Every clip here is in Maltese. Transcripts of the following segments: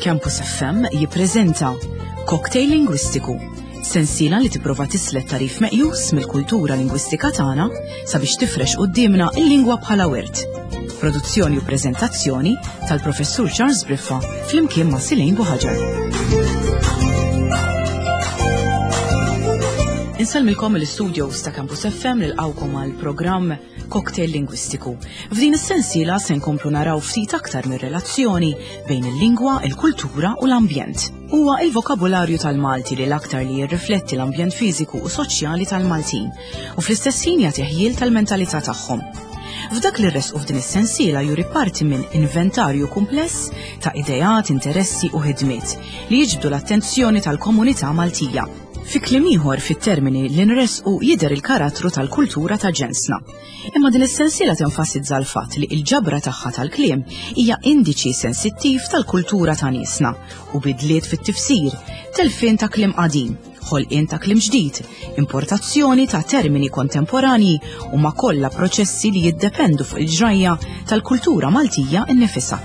Campus FM jippreżenta Cocktail Lingwistiku, sensiela li tipprova tislet tarif meqjus mill-kultura lingwistika tagħna sabiex tifrex quddiemna il-lingwa bħala wirt. Produzzjoni u preżentazzjoni tal-Professur Charles Briffa flimkien ma' Silejn Buħaġar. Insellmilkom l-studios ta' Campus FM nilqawkom għal programm Cocktail Lingwistiku. F'din is-sensiela se nkomplu naraw ftit aktar mir-relazzjoni bejn il-lingwa, il-kultura u l-ambjent. Huwa il-vokabularju tal-Malti li l-aktar li jirrifletti l-ambjent fiżiku u soċjali tal-Maltin u fl-istess ħin jagħti ħjiel tal-mentalità tagħhom. F'dak li rresqu f'din is-sensiela juri parti minn inventarju kumpless ta' ideat, interessi u ħidmiet li jiġbdu l-attenzjoni tal-komunità Maltija. Fi kliem ieħor fit-termini li nressqu jidher il-karattru tal-kultura ta' ġensna. Imma din is-sensiela tenfasizza l-fatt li l-ġabra tagħha tal-kliem hija indiċi sensittiv tal-kultura ta' niesna u bidliet fit-tifsir, telfien ta' kliem qadim, ħolqien ta' kliem ġdid, importazzjoni ta' termini kontemporanji huma kollha proċessi li jiddependu fuq il-ġrajja tal-kultura Maltija nnifisha.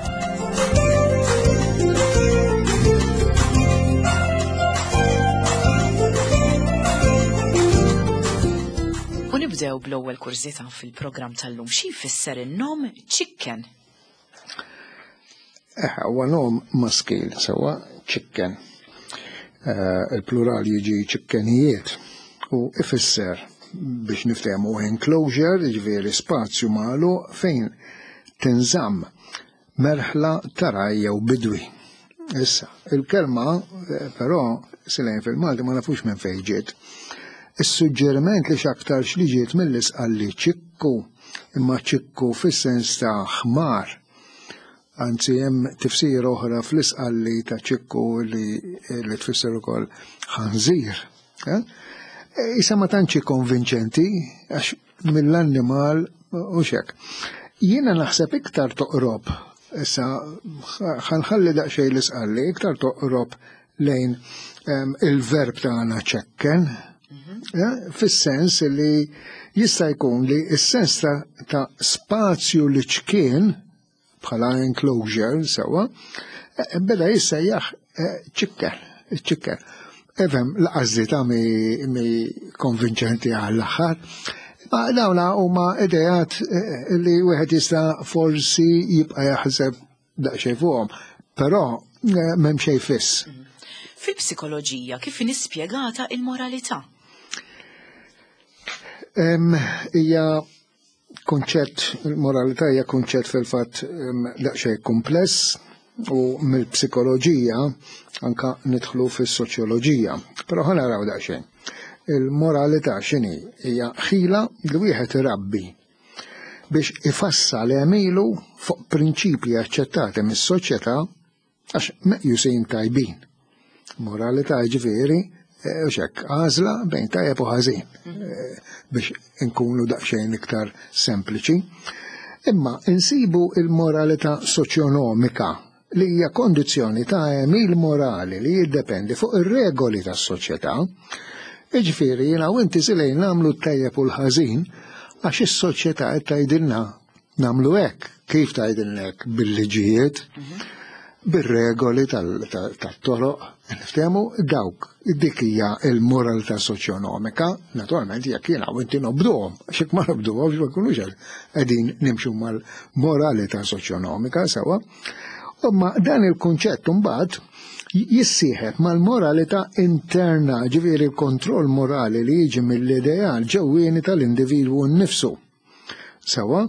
U nibdew bl-ewwel kurżità fil-programm tal-lum xi jfisser in-nom ċikken. Eh, huwa nom maskil sewwa ċikken. Eh, il-plural jiġi ċikkenijiet u ifisser biex niftehmu enclosure, jiġifieri spazju magħluq fejn tinżamm merħla ta' raj jew bidwi. Issa, il-kelma eh, però silejn fil-Malti ma nafux minn fejn ġiet. Is-suġġeriment li x'aktarx li ġiet mill-isqalli ċikku imma ċikku fis-sens ta' ħmar. Anzi hemm tifsira oħra fl-isqalli ta' ċikku li, li tfisser ukoll ħanżir. Eh? E, isa ma tantx konvinċenti għax mill-annimal u xek. Jiena naħseb iktar toqrob, issa ħanħalli daqsxejn l-isqalli, iktar toqrob lejn ehm, il-verb tagħna ċekken, mhm. eh, fis-sens li jista' jkun li s-sens ta' spazju li ċkien bħala enclosure sewa, eh, beda jissejjaħ eh, ċikker, ċikker. Efem, laqas ta' mi, mi konvinċenti għall-aħħar. Ma dawna huma idejat li wieħed jista' forsi jibqa' jaħseb daqsxejn fuqhom, però eh, m'hemm xejn fiss. Mm. Fil-psikoloġija kif inhi spjegata il-moralità? Hija kunċett, il-moralità hija kunċett fil-fatt daqsxejn kumpless u mill-psikoloġija anka nidħlu fis-soċjoloġija. Però ħa naraw daqsxejn. Il-moralità x'inhi? Hija ħila li wieħed irabbi biex ifassal għemilu fuq prinċipji aċċettati mis-soċjetà għax meqjusin tajbin. Moralità ġifieri eh, u xek, għażla bejn tajjeb u ħażin eh, biex inkunu daqsxejn iktar sempliċi. Imma insibu il-moralità soċjonomika li hija kondizzjoni ta' għemil morali li jiddependi fuq ir-regoli tas-soċjetà. Iġifieri jiena u inti silejn nagħmlu t-tajjeb u l-ħażin għax is-soċjetà qed tgħidilna nagħmlu hekk. Kif tgħidilna hekk? Bil-liġijiet, mhm. bir-regoli tat-toroq, niftehmu dawk dik hija l-moralità soċjonomika, naturalment jekk jiena u inti nobduhom, għax jekk ma nobduhomx ma nkunux qegħdin nimxu mal-moralità soċjonomika sewwa. Imma dan il-kunċett imbagħad jissieħeb mal-moralità interna, ġifieri l-kontroll morali li jiġi mill-ideal ġewwieni tal-individwu nnifsu. Sewwa?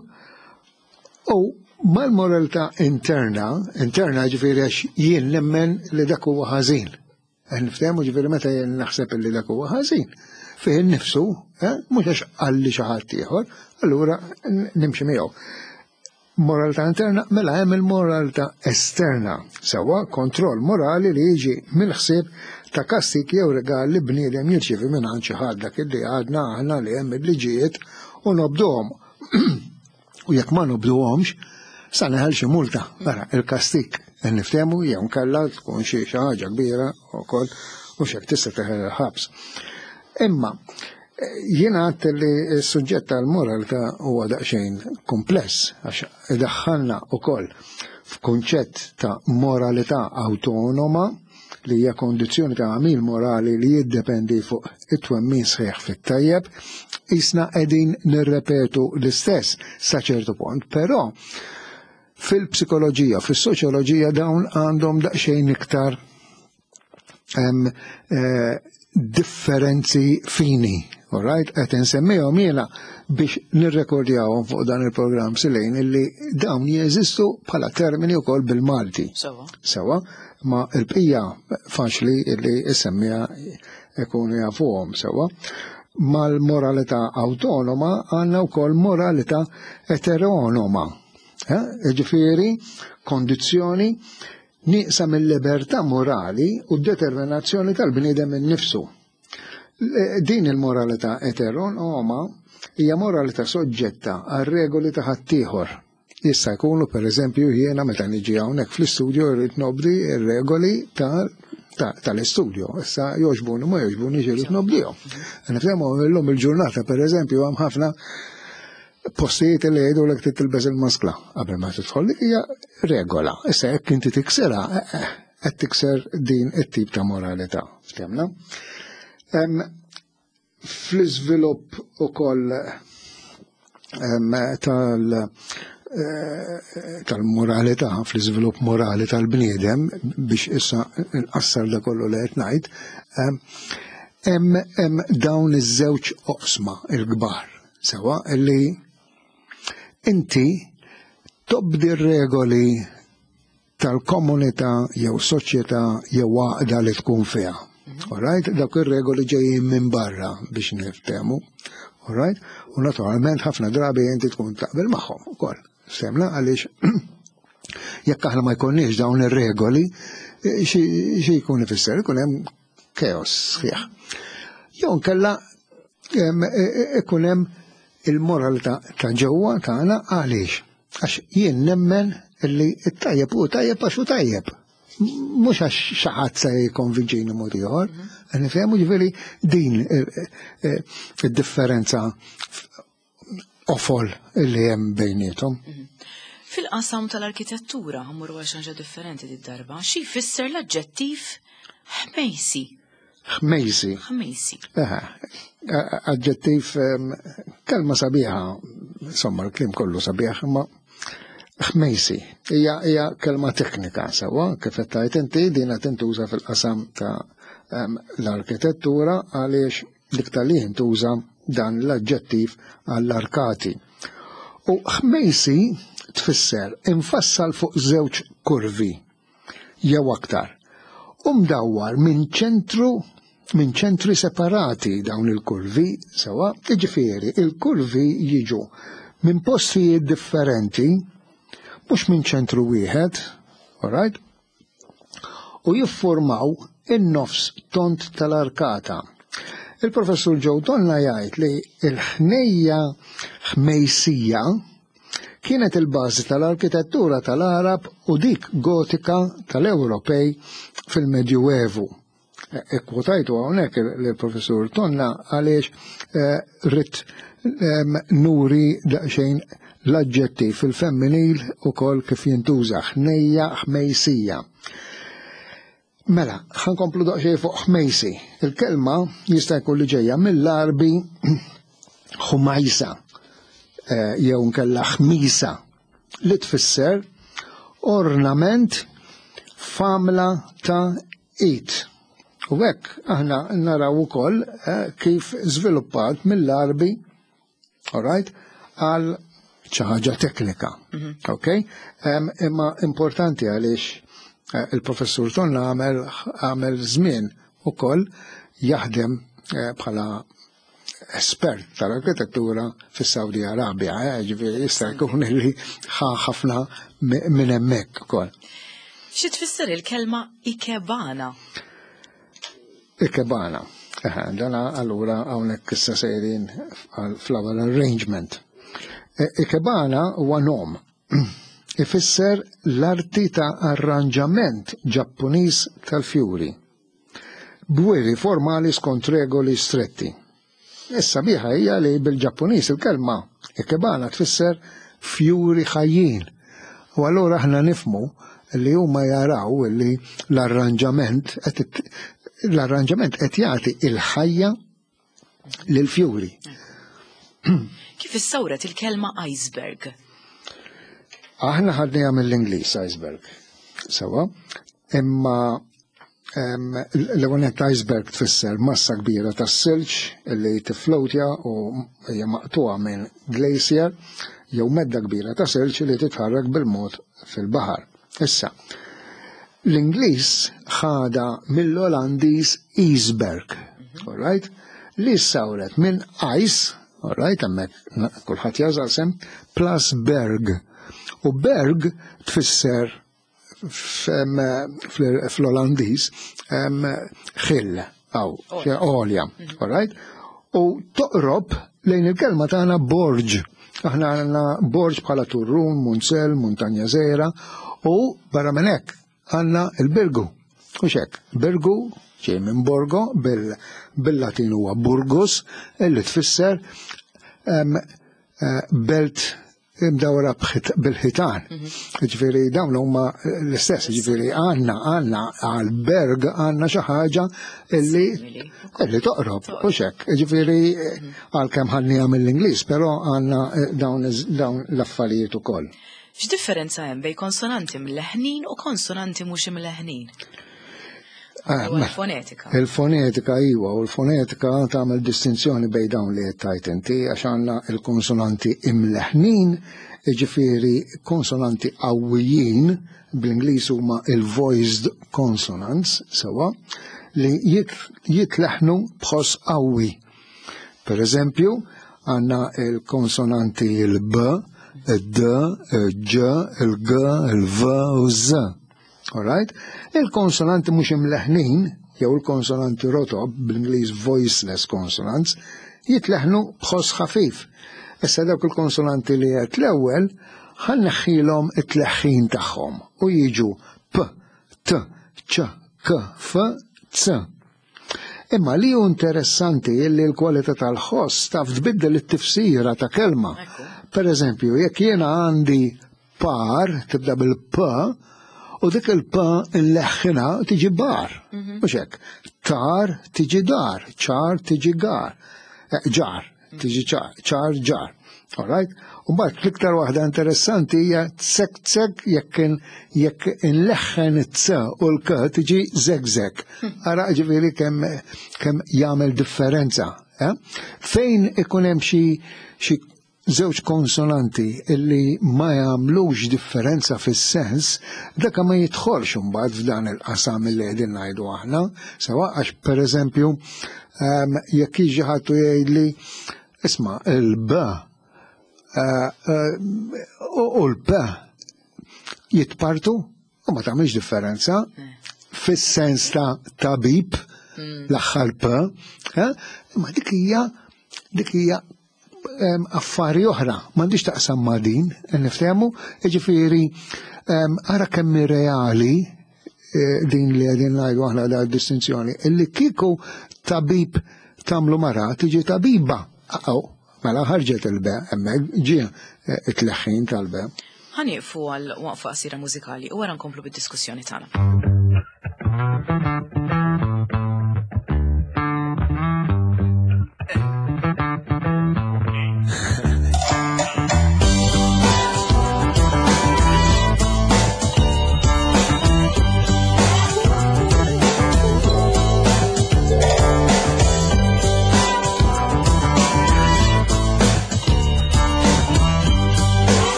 U mal-moralità interna, interna ġifieri għax jien nemmen li dak huwa ħażin. Niftehmu ġifieri meta jien naħseb li dak huwa ħażin, fih innifsu, eh, mhux għax qalli xi ħadd ieħor, allura nimxi miegħu. Moralità interna, mela hemm il-moralità esterna, sewwa kontroll morali li jiġi mill-ħsieb ta' kastik jew rigal li bniedem jirċievi minn għand xi ħadd dak li għadna aħna li hemm il-liġijiet u nobduhom. U jekk ma nobduhomx, sa neħel xi multa, ara il-kastik niftehmu jew nkella tkun xi ħaġa kbira wkoll u x'hekk tista' teħel il-ħabs. Imma. Jiena għadt li s-suġġett tal-moralità huwa daqsxejn kumpless għax idaħħalna wkoll f'kunċett ta' moralità awtonoma li hija kondizzjoni ta' għamil morali li jiddependi fuq it-twemmin sħiħ fit-tajjeb, qisna qegħdin nirrepetu l-istess sa ċertu punt, però fil-psikoloġija, fis-soċjoloġija dawn għandhom daqsxejn iktar eh, differenzi fini, all right? Qed insemmihom jiena biex nirrekordjawhom fuq dan il-programm silejn illi dawn jeżistu bħala termini wkoll bil-Malti. Sewa. Sewa, ma l-bqija faċli illi issemmiha ikunu jafuhom sewa. Mal-moralità awtonoma għandna wkoll moralità eteronoma. Eh? Ġifieri, kondizzjoni nieqsa mill-libertà morali u d-determinazzjoni tal-bniedem innifsu. Din il-moralità eteronoma hija moralità soġġetta għal regoli ta' ħaddieħor. Jista' jkunu pereżempju jiena meta niġi hawnhekk fl-istudju rrid nobdi r-regoli tal-istudju. Issa jogħġbuni ma jogħġbuni irrid nobdihom. Nifhemu illum il-ġurnata pereżempju hemm ħafna postijiet li jgħidu l trid tilbes il-maskla qabel ma tidħol dik hija regola. Issa jekk inti tiksirha, eh, eh, qed tikser din it-tip ta' moralità. Ftemna? Fl-iżvilupp ukoll tal eh, tal-moralità, fl-iżvilupp morali tal-bniedem biex issa nqassar da kollu li qed ngħid, hemm dawn iż-żewġ oqsma il-kbar. Sewa li inti tobdi r-regoli tal-komunità jew soċjetà jew għaqda li tkun fiha. Mhm. Alright, dawk ir-regoli ġejjin minn barra biex niftehmu. Alright, u naturalment ħafna drabi inti tkun taqbel magħhom ukoll. Semna għaliex jekk aħna ma jkollniex dawn ir-regoli, xi jkun ifisser ikun hemm chaos sħiħ. Jew nkella e, e, ikun hemm il-moralità ta' ġewwa tagħna għaliex? Għax jien nemmen li t-tajjeb hu tajjeb għax hu tajjeb. Mhux għax xi ħadd se jikkonvinċini mod ieħor. Mhm. Nifhemu ġifieri din e, id-differenza qofol li hemm bejniethom. Mhm. Fil-qasam tal-arkitettura, ħammur għal xi ħaġa differenti did-darba, xi jfisser l-aġġettiv ħmejsi? Ħmejsi. Ħmejsi. Aġġettiv kelma sabiħa, insomma l-kliem kollu sabiħ, imma ħmejsi hija hija kelma teknika sewwa kif qed tgħid inti din qed tintuża fil-qasam ta' l-arkitettura għaliex L-iktar li jintuża dan l-aġġettiv għall-arkati. U ħmejsi tfisser imfassal fuq żewġ kurvi jew aktar u mdawwar minn ċentru minn ċentri separati dawn il-kurvi sewa, jiġifieri il-kurvi jiġu minn postijiet differenti mhux minn ċentru wieħed, alright? u jiffurmaw in-nofs tond tal-arkata. Il-Professur Joe Tonna jgħid li l-ħnejja ħmejsija kienet il-bażi tal-arkitettura tal-Għarab u dik Gotika tal-Ewropej fil-Medjuevu. Ikkwotajtu hawnhekk lill-Professur Tonna għaliex eh, rrid ehm, nuri daqsxejn l-aġġettiv fil-femminil ukoll kif jintuża ħnejja ħmejsija. Mela, ħankomplu daqsxejn fuq ħmejsi. Il-kelma jista' jkun li ġejja mill-Arbi ħumajsa eh, jew nkella ħmisa li tfisser ornament f'għamla ta' id. U hekk aħna naraw ukoll eh, kif żviluppat mill-Arbi, all right, għal xi ħaġa teknika. Mhm. Ok? Imma importanti għaliex eh, il-professur Tonna għamel għamel żmien ukoll jaħdem eh, bħala espert tal-arkitettura fis-Saudi Arabia, eh, ġifieri jista' jkun li ħa ħafna minn hemmhekk ukoll. Xi tfisser il-kelma ikebana? Ikebana. Dana allura hawnhekk issa sejrin għal flower arrangement. E, ikebana huwa nom. Ifisser l-arti ta' arranġament Ġappuniż tal-fjuri. B'wiri formali skont regoli stretti. Is-sabiħa hija li bil-Ġappuniż il-kelma ikebana tfisser fjuri ħajjin. U allura aħna nifmu li huma jaraw li l-arranġament l-arranġament qed jagħti il-ħajja lill-fjuri. Kif issawret il-kelma iceberg? Aħna ħadniha mill-Ingliż iceberg. Sewa, imma l-ewwel iceberg tfisser massa kbira ta' silġ li tiflowtja u hija maqtuha minn glacier jew medda kbira ta' silġ li titħarrek bil-mod fil-baħar. Issa, l-Ingliż ħada mill-Olandiż iceberg, all right? Li sawret minn ice, all right, hemmhekk kulħadd jażal sem, plus berg. U berg tfisser fl-Olandiż ħill, aw, għolja, all right? U toqrob lejn il-kelma tagħna borġ. Aħna għandna borġ bħala turrun, munzel, muntanja żgħira u barra minn hekk għandna il-birgu. U xek, birgu ġej minn borgo bil-Latin huwa burgus illi tfisser belt imdawra bil-ħitan. Ġifieri dawn huma l-istess, ġifieri għandna għandna għal-berg għandna xi ħaġa illi illi toqrob, u xek. Ġifieri għalkemm ħadniha mill-Ingliż, però għandna dawn l-affarijiet ukoll. X'differenza hemm bejn konsonanti mleħnin u konsonanti mhux imleħnin? Il-fonetika. Il-fonetika iwa, u l-fonetika tagħmel distinzjoni bejn dawn li qed tgħid inti għax għandna il-konsonanti imleħnin, jiġifieri konsonanti qawwijin, bl-Ingliż huma il-voiced consonants, sewwa, li jitleħnu b'ħoss qawwi. Per eżempju, għandna il-konsonanti il-B, il-D, il-Ġ, il-G, il-V u z. All right? Il-konsonanti mhux imleħnin, jew il-konsonanti rotob, bl-Ingliż voiceless consonants, jitleħnu b'ħoss ħafif. Issa dawk il-konsonanti li qed l-ewwel ħa nneħħilhom it-tleħħin tagħhom u jiġu P, T, Ċ, K, F, C. Imma li hu interessanti li l-kwalità tal-ħoss taf tbiddel it-tifsira ta' kelma. Per eżempju, jekk jiena għandi par, tibda bil-p, u dik il-p nleħħinha tiġi bar. Mhux hekk. Tar tiġi dar, ċar tiġi gar. Ġar, tiġi ċar, ċar ġar. All right? U mbagħad l-iktar waħda interessanti hija tsek tsek jekk jekk inleħħen it-c u l-k tiġi zek zek. Ara ġifieri kemm kemm jagħmel differenza. Eh? Fejn ikun hemm xi xi żewġ konsonanti illi ma jagħmlux differenza fis-sens, dak ma jidħolx imbagħad f'dan il-qasam illi qegħdin ngħidu aħna, sewa għax pereżempju jekk jiġi ħadd u jgħidli isma' il-B u l-P jitpartu u ma tagħmilx differenza fis-sens ta' tabib l-aħħar P, imma dik hija dik hija affari oħra, m'għandix taqsam ma' din, niftehmu, jiġifieri ara kemm reali din li qegħdin ngħidu aħna da distinzjoni, illi kieku tabib tagħmlu mara tiġi tabiba. Aw, mela ħarġet il-be, hemmhekk ġie it-tleħħin tal-be. Ħa nieqfu għal waqfa qasira mużikali u wara nkomplu bid-diskussjoni tagħna.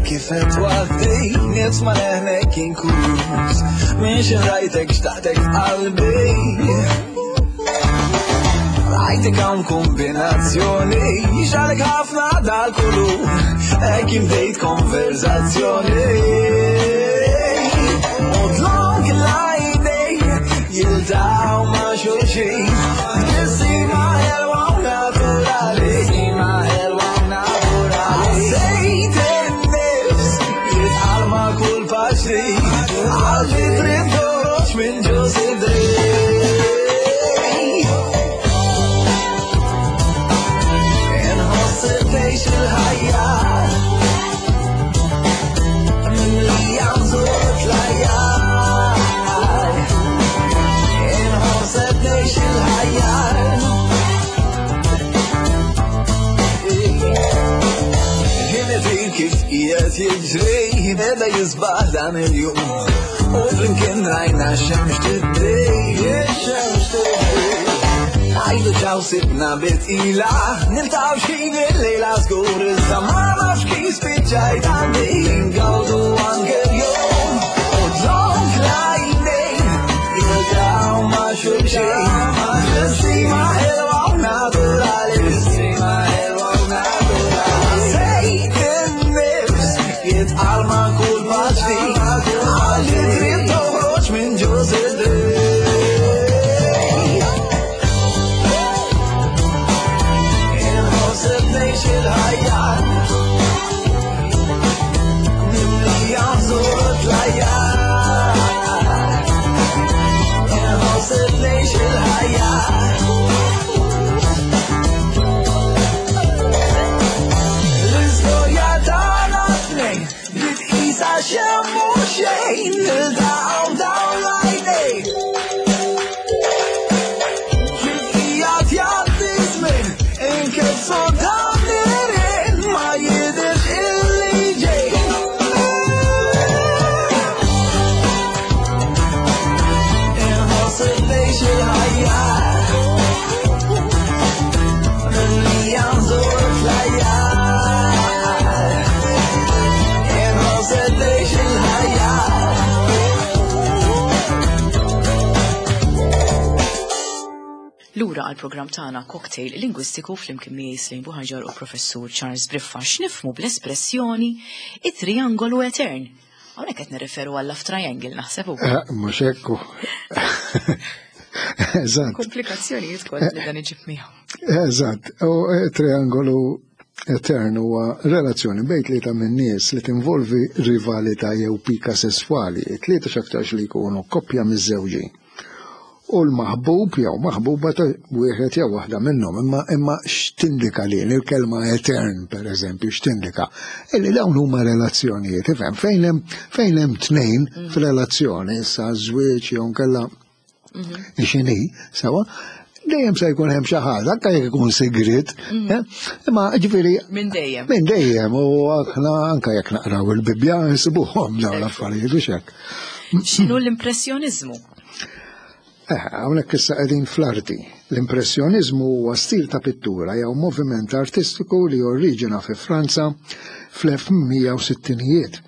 Kif qed waħdi, nisma' leħnek inkluż. Minn xi rajtek xtaqtek f'qalbi. Rajtek hawn kombinazzjoni, xalek ħafna dal-kulur, hekk bdejt konverzazzjoni. U dlonk l-għajnej jiltaqgħu ma' xulxin, tbissima ħelwa u naturali. Tbissima ħelwa u naturali. Ħassejt in-nifs jitqal ma' kull paċri, qalbi trid toħroġ minn ġo sidri. qiegħed jiġri beda jisbaħ dan il-jum. U flimkien rajna xemx tiddi, xemx tiddi. Għajdu ċaw sibna bitqila, niltaqgħu x'ħin il-lejla żgur iżda ma nafx kif spiċċajt għandi ngawdu anke l-jum. U dlonk l-għajnejn jiltaqgħu ma' xulxin. Tbissima ħelwa u naturali, tbissima ħelwa u naturali. Sejt in-nifs jitqal ma' kull pass ġdid, għal li trid toħroġ minn ġo sidri. Inħoss qed ngħix il-ħajja mimlija bżur u tlajja. Inħoss qed ngħix il-ħajja. L-istorja tagħna tnejn bdiet qisha xejn mhu xejn, niltaqgħu dawn l-għajnejn. Kif qiegħed jgħaddi żmien, inkissu dawn l-għerien, ma jidhirx illi ġej. Inħoss qed ngħix il-ħajja mimlija nżur tlajja. Inħoss qed ngħix il-ħajja. Lura għall-programm tagħna Cocktail Lingwistiku flimkien miegħi Slane Buhaġar u Professur Charles Briffa x'nifhmu bl-espressjoni it-triangolu etern. Hawnhekk qed nirreferu għal love triangle naħseb hu. Mhux hekk hu. Eżatt. Komplikazzjonijiet kollha li dan iġib miegħu. Eżatt. U triangolu etern huwa relazzjoni bejn tlieta minn nies li tinvolvi rivalità jew pika sesswali. Tlieta x'aktarx li jkunu koppja miżżewġin. U l-maħbub jew maħbuba ta' wieħed jew waħda minnhom. Imma, imma x'tindika li il-kelma etern, per eżempju, x'tindika? Illi dawn huma relazzjonijiet, ifhem, fejn hemm, fejn hemm tnejn f'relazzjoni, issa żwieġ jew nkella x'inhi, sewa, dejjem se jkun hemm xi ħaġa, anke jekk ikun sigriet, imma ġifieri Minn dejjem. Minn dejjem, u aħna anke jekk naqraw il-Bibbja nsibuhom dawn l-affarijiet u x'hekk. X'inhu l-impressjoniżmu? Hawnhekk issa qegħdin fl-arti. L-impressjoniżmu huwa stil ta' pittura jew moviment artistiku li oriġina fi Franza fl-1860ijiet.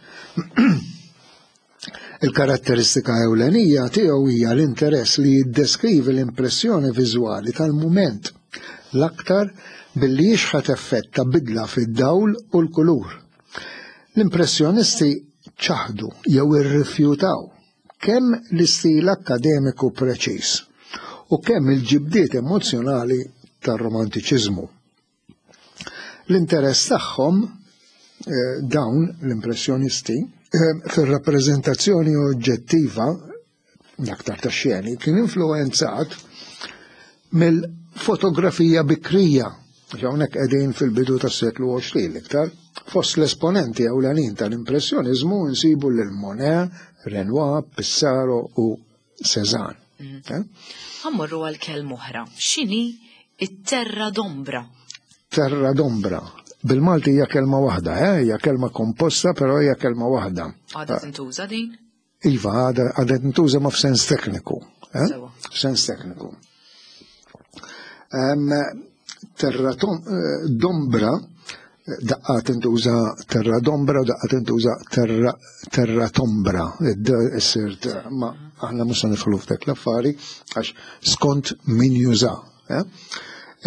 Il-karatteristika ewlenija tiegħu hija l-interess li jiddeskrivi l-impressjoni viżwali tal-mument, l-aktar billi jixħet effett ta' bidla fid-dawl u l-kulur. L-impressjonisti ċaħdu jew irrifjutaw kemm l-istil akkademiku preċiż u kemm il-ġibdiet emozjonali tar-romantiċiżmu. L-interess tagħhom dawn l-impressjonisti fir-rappreżentazzjoni oġġettiva l-aktar ta' xeni kien influenzat mill-fotografija bikrija, hawnhekk qegħdin fil-bidu tas-seklu 20 l-iktar. Fost l-esponenti ewlenin tal-impressjoniżmu nsibu lil Monet, Renoir, Pissarro u Cézanne. Ħammorru għal kelma oħra. X'inhi it-terra d'ombra? Terra d'ombra. Bil-Malti hija kelma waħda, hija kelma komposta, però hija kelma waħda. Għadha tintuża din? Iva, għadha tintuża ma f'sens tekniku. F'sens tekniku. Terra d'ombra, daqqa tintuża terra d'ombra u daqqa tintuża terra tombra. Issir, ma aħna mhux se nidħlu f'dak l-affari għax skont min juża.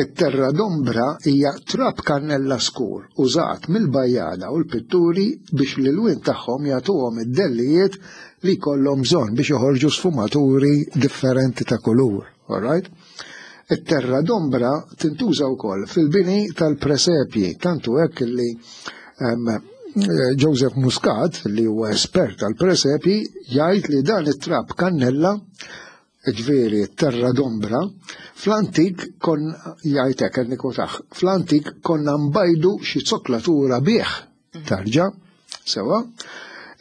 It-terra d'ombra hija trab kannella skur użat mill-bajjada u l-pitturi biex l-ilwien tagħhom jagħtuhom id-dellijiet li jkollhom bżonn biex joħorġu sfumaturi differenti ta' kulur. All right? It-terra d'ombra tintuża wkoll fil-bini tal-presepji, tantu hekk li Joseph Muscat, li huwa espert tal-presepji, jgħid li dan it-trab kannella, ġifieri terra d'ombra, fl-antik kon jgħid hekk qed nikwotaħ, fl-antik konna nbajdu xi zoklatura bih, tarġa, sewa.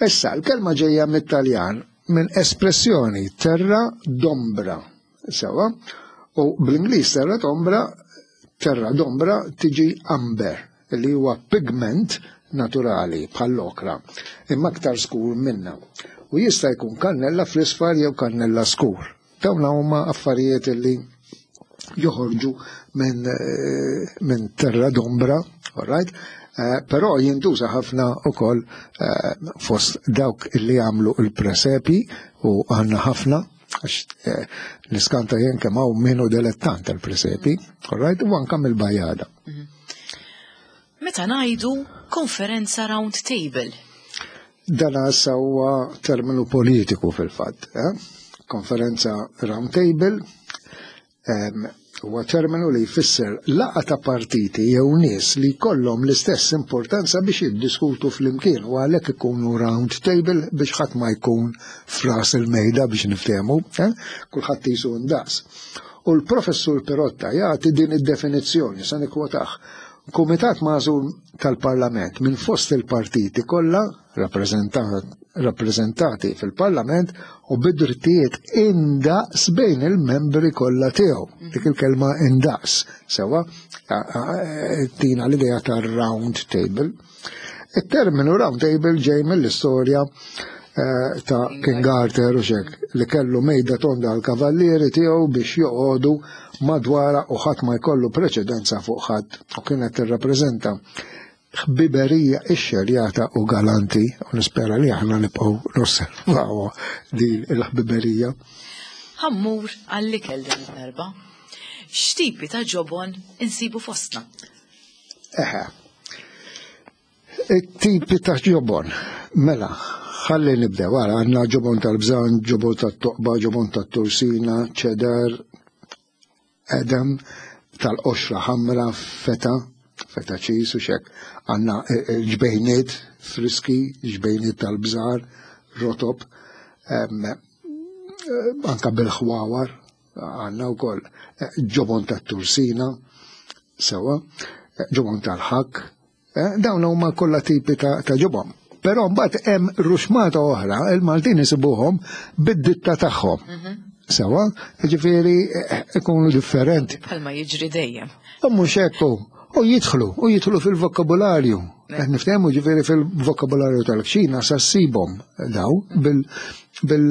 Issa l-kelma ġejja mit-Taljan minn espressjoni terra d'ombra, sewa, u bl-Ingliż terra d'ombra, terra d'ombra tiġi amber, li huwa pigment naturali bħall-okra, imma aktar skur minna. U jista' jkun kannella fl-isfar jew kannella skur. Dawn huma affarijiet li joħorġu minn eh, min terra d'ombra, all right? Eh, però jintuża ħafna ukoll eh, fost dawk li jagħmlu l-presepi u għandna ħafna għax eh, l-iskanta jien kemm hawn minnu delettant tal-presepi, all right, u anke mill-bajada. Mhm. Meta ngħidu konferenza round table. Dan issa huwa terminu politiku fil-fatt. Eh? Konferenza round table huwa terminu li jfisser laqa ta' partiti jew nies li jkollhom l-istess importanza biex jiddiskutu flimkien u għalhekk ikunu round table biex ħadd ma jkun fras il-mejda biex niftehmu, eh? kulħadd jisu ndaqs. U l-professur Perotta jagħti din id-definizzjoni, sa nikkwotah. Kumitat magħżul tal-Parlament minn fost il-partiti kollha rappreżentati fil-Parlament u bid-drittijiet indaqs bejn il-membri kollha tiegħu. Dik il-kelma indaqs, sewa tina l-idea ta' round table. Il-terminu round table ġej mill-istorja eh, ta' King Arthur u xek li kellu mejda tonda għal kavallieri tiegħu biex joqogħdu madwara u ħadd ma jkollu preċedenza fuq ħadd u kienet tirrappreżenta ħbiberija ixxerjata u galanti u nispera li aħna nibqgħu nosservaw din il-ħbiberija. Ħammur għall-ikel din id-darba. X'tipi ta' ġobon insibu fostna? Eħe. Tipi ta' ġobon. Mela, ħalli nibdew għara għandna ġobon tal-bżan, ġobon tat-toqba, ġobon tat-tursina, ċedar, edem, tal-qoxra ħamra, feta, feta ċis u xek. Għandna eh, eh, ġbejniet friski, ġbejniet tal-bżar, rotob, eh, anka bil-ħwawar, Għanna wkoll eh, ġobon tat-tursina, sewa, eh, ġobon tal-ħak, eh, dawn huma kollha tipi ta' ġobon. Però mbagħad hemm ruxmata oħra, il-Maltin isibuhom bid-ditta tagħhom. Mhm. Sewa, ġifieri ikunu differenti. Bħalma jiġri dejjem. U mhux hekk u jidħlu, u jidħlu fil-vokabularju. Qed niftehmu ġifieri fil-vokabularju tal-kċina sa ssibhom daw bil bil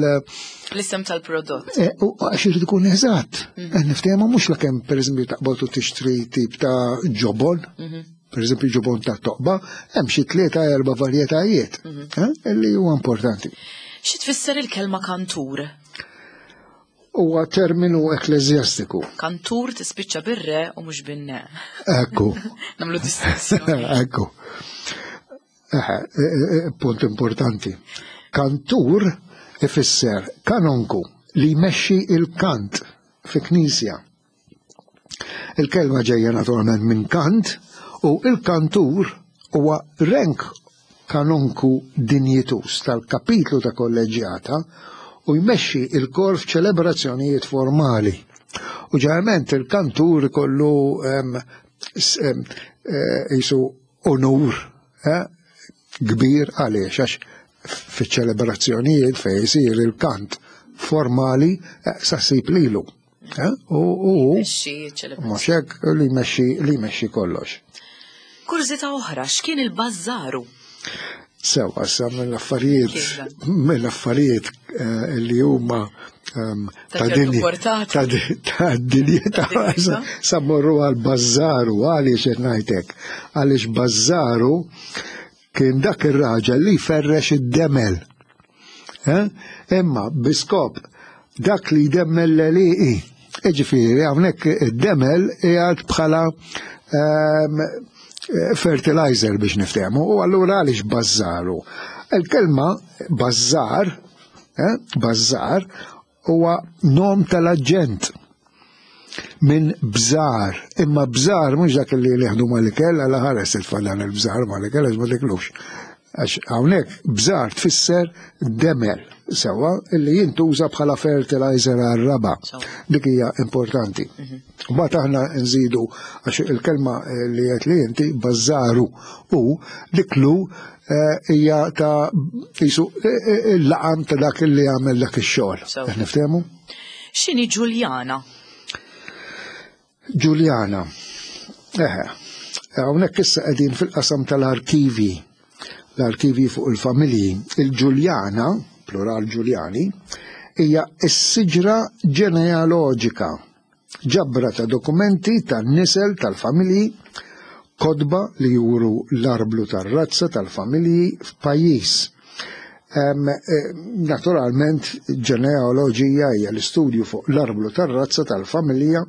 L-isem tal-prodott. Eh, u għax irid ikun eżatt. Mhm. Qed niftehmu mhux lakemm pereżempju taqbad u tixtri tip ta' ġobon. Mhm. Per ġobon ta' toqba, hemm xi tlieta erba' varjetajiet mhm. eh, li huwa importanti. Xi tfisser il-kelma kantur? Huwa terminu ekkleżjastiku. Kantur tispiċċa bir-re u mhux bin-ne. Ekku. Nagħmlu distinzjoni. Ekku. E, e, e, punt importanti. Kantur ifisser kanonku li jmexxi il-kant fi knisja. Il-kelma ġejja naturalment minn kant u il-kantur huwa renk kanonku dinjitus tal-kapitlu ta' kolleġġjata u jmexxi il-kor f'ċelebrazzjonijiet formali. U ġeneralment il-kantur ikollu jisu onur eh, kbir għaliex għax fiċ-ċelebrazzjonijiet fejn isir il-kant formali eh, sa ssib lilu. Eh, u mhux hekk li jmexxi li jmexxi kollox. Kurżità oħra, x'kien il-bażżaru? Sewa, sa mill-affarijiet mill-affarijiet eh, li huma ehm, ta' ta' dinjità sa morru għal bażżaru għaliex qed ngħidlek. Għaliex bażżaru kien dak ir-raġel li jferrex id-demel. Eh? Imma biskop dak li jdemmel l-eliqi. Iġifieri hawnhekk id-demel qiegħed bħala ehm, fertilizer biex niftehmu u allura għaliex bażżaru. Il-kelma bażżar, eh, bażżar huwa nom tal-aġent minn bżar, imma bżar mhux dak li nieħdu mal-ikel għal ħares itfa' dan il-bżar mal-ikel għax ma tiklux. Għax hawnhekk bżar tfisser demel sewwa illi jintuża bħala fertilizer għar-raba. Dik hija importanti. Mhm. Mbagħad aħna nżidu għax il-kelma eh, li qed li inti bażaru u dik lu eh, hija ta' jisu eh, il-laqam ta' dak li għamel dak ix-xogħol. Niftehmu? X'inhi Ġuljana? Ġuljana. Eħe, hawnhekk issa qegħdin fil-qasam tal-arkivi. l-arkivji fuq il-familji. Il-Ġuljana, plural Ġuljani, hija s-siġra ġenealoġika, ġabra ta' dokumenti tan-nisel tal-familji, kotba li juru l-arblu tar-razza tal-familji f'pajjiż. Eh, naturalment, ġenealoġija hija l-istudju fuq l-arblu tar-razza tal-familja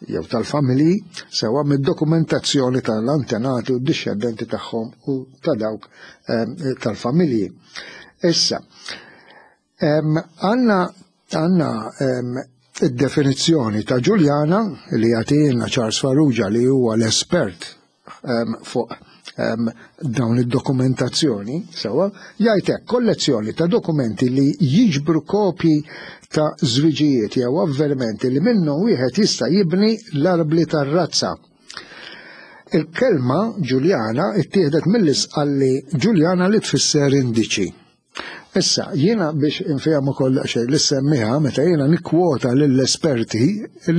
jew tal-familji sewa mid-dokumentazzjoni tal-antenati u d-dixxendenti tagħhom u ta' dawk tal-familji. Issa, għanna għanna id-definizzjoni ta' Ġuljana li jagħtina Charles Farrugia li huwa l-espert fuq dawn id-dokumentazzjoni, sewa, jgħid hekk kollezzjoni ta' dokumenti li jiġbru kopji ta' żwiġijiet jew avvenimenti li minnhom wieħed jista' jibni l-arbli tar-razza. Il-kelma Ġuljana ittieħdet mill-isqalli Ġuljana li tfisser indiċi. Issa, jiena biex infehom ukoll daqsxejn li semmiha meta jiena nikkwota lill-esperti,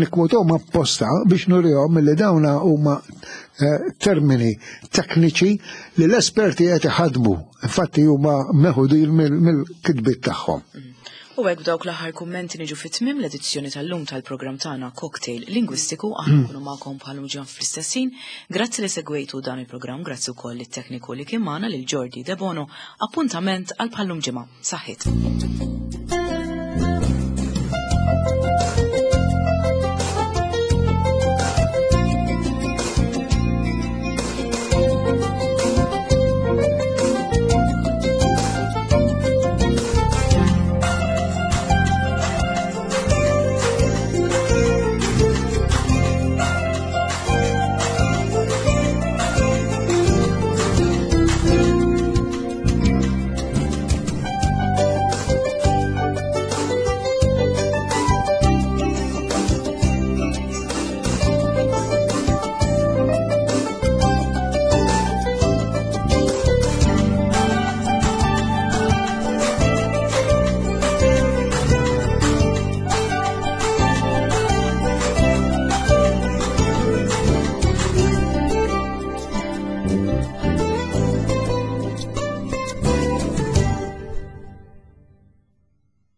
nikkwotahom apposta biex nurihom li dawna huma eh, termini tekniċi li l-esperti qed iħadmu, infatti huma meħudin mill-kitbiet tagħhom. U hekk b'dawk l-aħħar kummenti niġu fi tmiem l-edizzjoni tal-lum tal-programm tagħna Cocktail Lingwistiku aħna nkunu magħkom bħal ġan fl-istess ħin. Grazzi li segwejtu dan il-programm, grazzi wkoll lit-tekniku li kien magħna lil Jordi Debono. Appuntament għal bħal-lum ġimgħa. Saħħit.